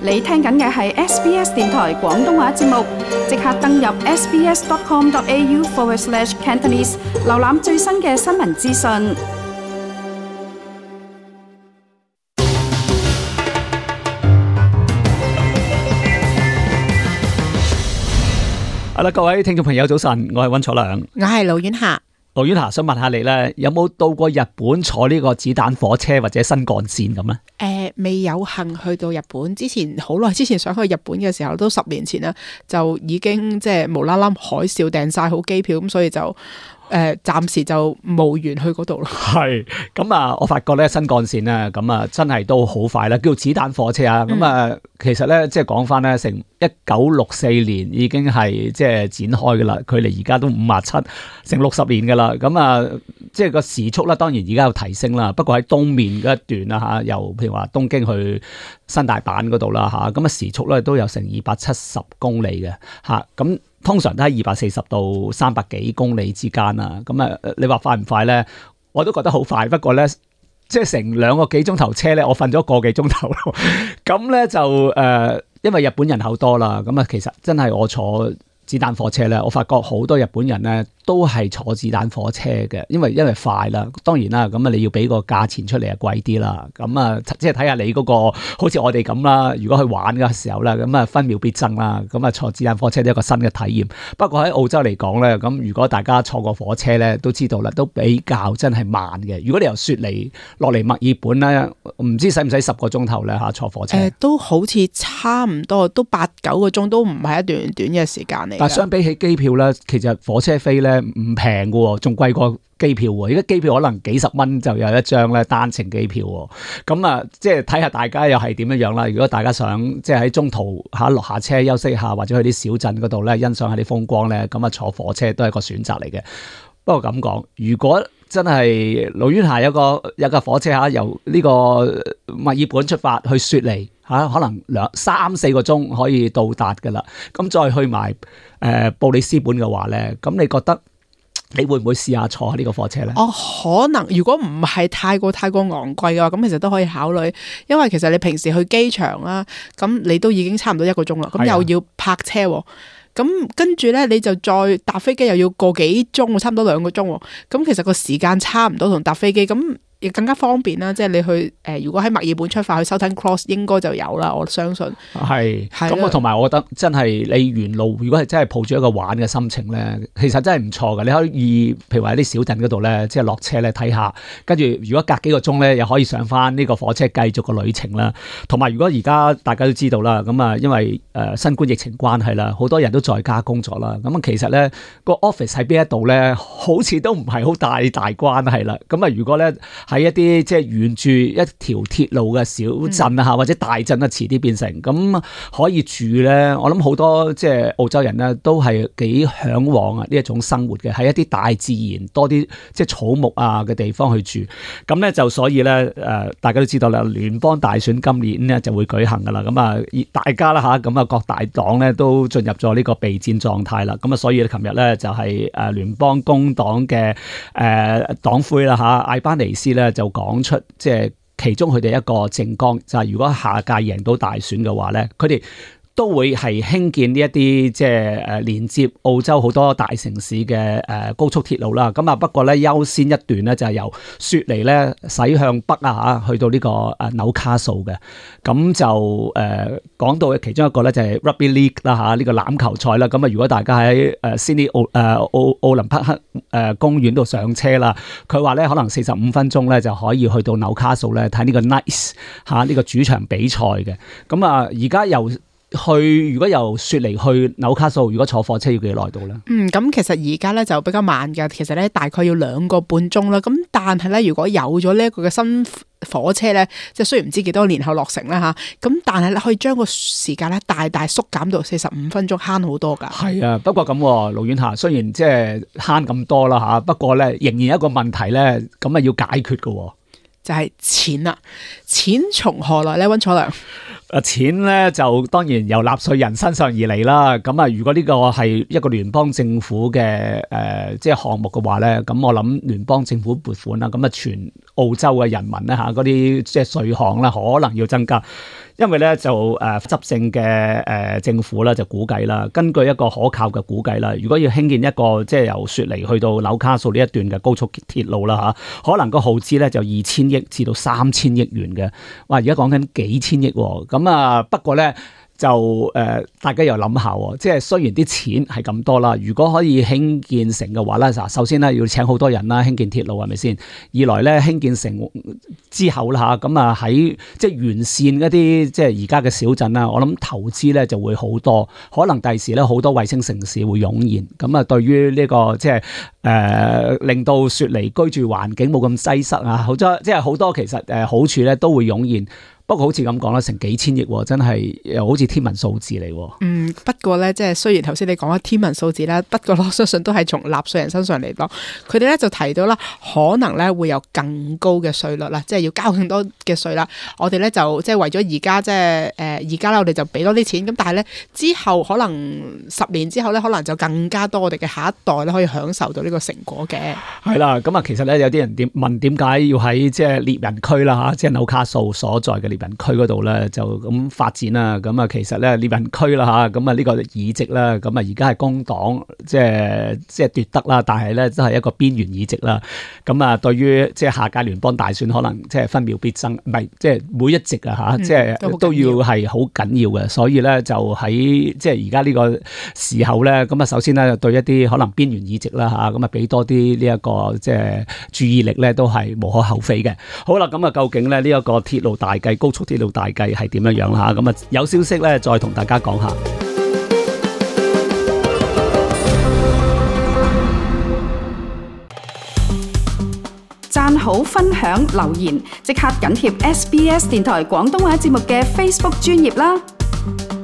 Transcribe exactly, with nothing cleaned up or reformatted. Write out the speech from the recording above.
你聽緊嘅係 S B S 電台廣東話節目，即刻登入 sbs.com.au forward slash Cantonese， 瀏覽最新嘅新聞資訊。好啦，各位聽眾朋友早晨，我係溫楚良，我係盧婉霞。盧婉霞想問下你咧，有冇到過日本坐呢個子彈火車或者新幹線咁咧？誒、呃，未有幸去到日本，之前好耐之前想去日本嘅時候，都十年前啦，就已經即係無啦啦海嘯訂晒好機票，咁所以就。誒、呃，暫時就無緣去嗰度咯。係咁啊，我發覺咧新幹線咧，咁啊真係都好快啦，叫子彈火車啊。咁、嗯、啊，其實咧即係講翻咧，成一九六四年已經係即係展開噶啦，距離而家都五十七，成六十年噶啦。咁啊，即係個時速啦，當然而家有提升啦。不過喺東面嗰一段啦吓，由譬如話東京去新大阪嗰度啦吓，咁啊時速咧都有成二百七十公里嘅吓，咁。通常都喺二百四十到三百幾公里之間啊，咁啊，你話快唔快咧？我都覺得好快，不過咧，即係成兩個幾鐘頭車咧，我瞓咗個幾鐘頭咯。咁咧就誒、呃，因為日本人口多啦，咁啊，其實真係我坐子彈火車咧，我發覺好多日本人咧都係坐子彈火車嘅，因為因為快啦。當然啦，咁啊你要俾個價錢出嚟啊貴啲啦。咁啊，即係睇下你嗰、那個，好似我哋咁啦。如果去玩嘅時候咧，咁啊分秒必爭啦。咁啊坐子彈火車都係一個新嘅體驗。不過喺澳洲嚟講咧，咁如果大家坐過火車咧，都知道啦，都比較真係慢嘅。如果你由雪梨落嚟墨爾本咧，唔知使唔使十個鐘頭咧嚇坐火車？誒、呃，都好似差唔多，都八九個鐘，都唔係一段短嘅時間嚟。但相比起機票咧，其實火車飛咧唔平嘅喎，仲貴過機票喎。而家機票可能幾十蚊就有一張咧單程機票喎。咁啊，即係睇下大家又係點樣樣啦。如果大家想即係喺中途嚇落下車休息下，或者去啲小鎮嗰度咧欣賞下啲風光咧，咁啊坐火車都係一個選擇嚟嘅。不過咁講，如果真係盧婉霞有個有架火車嚇，由呢個墨爾本出發去雪梨嚇，可能兩三四個鐘可以到達㗎啦。咁再去埋誒、呃、布里斯本嘅話咧，咁你覺得你會唔會試下坐呢個火車咧？哦，可能如果唔係太過太過昂貴嘅話，咁其實都可以考慮，因為其實你平時去機場啦，咁你都已經差唔多一個鐘啦，咁又要泊車喎。咁跟住咧，你就再搭飛機又要個幾鐘，差唔多兩個鐘。咁其實個時間差唔多同搭飛機，咁亦更加方便啦。即係你去誒、呃，如果喺墨爾本出發去 Southern Cross 應該就有啦，我相信。係。咁我同埋我覺得真係你沿路，如果係真係抱住一個玩嘅心情咧，其實真係唔錯嘅。你可以譬如話喺啲小鎮嗰度咧，即係落車咧睇下，跟住如果隔幾個鐘咧，又可以上翻呢個火車繼續個旅程啦。同埋如果而家大家都知道啦，咁啊因為誒新冠疫情關係啦，好多人都在家工作啦。咁其實咧個 office 喺邊一度咧，好似都唔係好大大關係啦。咁啊如果咧喺一啲即係沿住一條鐵路嘅小鎮啊，或者大鎮啊，遲啲變成咁可以住咧。我諗好多即係澳洲人咧，都係幾嚮往啊呢一種生活嘅，喺一啲大自然多啲即係草木啊嘅地方去住。咁咧就所以咧誒，大家都知道啦，聯邦大選今年咧就會舉行噶啦。咁啊，大家啦嚇，咁啊各大黨咧都進入咗呢個備戰狀態啦。咁啊，所以琴日咧就係誒聯邦工黨嘅誒黨魁啦嚇，艾班尼斯咧就講出即係其中佢哋一個政綱，就係如果下屆贏到大選嘅話咧，佢哋都會係興建呢一啲即係誒連接澳洲好多大城市嘅誒高速鐵路啦。咁啊不過咧優先一段咧就係由雪梨咧駛向北啊嚇，去到呢個誒紐卡素嘅。咁就誒講到其中一個咧就係 Rugby League 啦嚇，呢個欖球賽啦。咁啊如果大家喺誒 Sydney 奧誒奧奧林匹克誒公園度上車啦，佢話咧可能四十五分鐘咧就可以去到紐卡素咧睇呢個 Knights 嚇呢個主場比賽嘅。咁啊而家由去如果由雪梨去紐卡素，如果坐火車要幾耐到咧？嗯，咁其實而家咧就比較慢㗎，其實咧大概要兩個半鐘啦。咁但係咧，如果有咗呢一個嘅新火車咧，即係雖然唔知幾多年後落成啦吓，咁但係咧可以將個時間咧大大縮減到四十五分鐘，慳好多㗎。係啊，不過咁盧婉霞雖然即係慳咁多啦吓，不過咧仍然有一個問題咧，咁啊要解決㗎，就係錢啦。錢從何來咧？溫楚良。誒錢咧就當然由納稅人身上而嚟啦。咁啊，如果呢個係一個聯邦政府嘅誒、呃、即係項目嘅話咧，咁我諗聯邦政府撥款啦，咁啊全澳洲嘅人民咧嚇嗰啲即係稅項啦，可能要增加。因為咧就誒執政嘅誒政府咧就估計啦，根據一個可靠嘅估計啦，如果要興建一個即係由雪梨去到紐卡素呢一段嘅高速鐵路啦嚇，可能個耗資咧就二千億至到三千億元嘅。哇！而家講緊幾千億喎，咁啊不過咧。就誒、呃，大家又諗下喎，即係雖然啲錢係咁多啦，如果可以興建成嘅話咧，嗱，首先咧要請好多人啦，興建鐵路係咪先？二來咧興建成之後啦嚇，咁啊喺即係完善一啲即係而家嘅小鎮啦，我諗投資咧就會好多，可能第時咧好多衛星城市會湧現，咁啊對於呢、這個即係誒、呃、令到雪梨居住環境冇咁擠塞啊，好多即係好多其實誒好處咧都會湧現。不過好似咁講啦，成幾千億真係又好似天文數字嚟。嗯，不過咧，即係雖然頭先你講咗天文數字啦，不過我相信都係從納稅人身上嚟講，佢哋咧就提到啦，可能咧會有更高嘅稅率啦，即係要交更多嘅稅啦。我哋咧就即係為咗而家即係誒而家咧，我哋就俾多啲錢。咁但係咧之後可能十年之後咧，可能就更加多我哋嘅下一代咧可以享受到呢個成果嘅。係啦，咁啊，其實咧有啲人點問點解要喺即係獵人區啦嚇，即係紐卡素所在嘅獵人區嗰度咧就咁發展啦，咁啊其實咧獵人區啦嚇，咁啊呢個議席啦，咁啊而家係工黨即係即係奪得啦，但係咧都係一個邊緣議席啦。咁啊對於即係下屆聯邦大選可能即係分秒必爭，唔係即係每一席啊嚇，即係、嗯、都要係好緊要嘅。所以咧就喺即係而家呢個時候咧，咁啊首先咧對一啲可能邊緣議席啦嚇，咁啊俾多啲呢一個即係注意力咧都係無可厚非嘅。好啦，咁啊究竟咧呢一個鐵路大計、高速鐵路大計係點樣樣啦？咁啊有消息咧，再同大家講下。讚好、分享、留言，即刻緊貼 S B S 電台廣東話節目嘅 Facebook 專頁啦！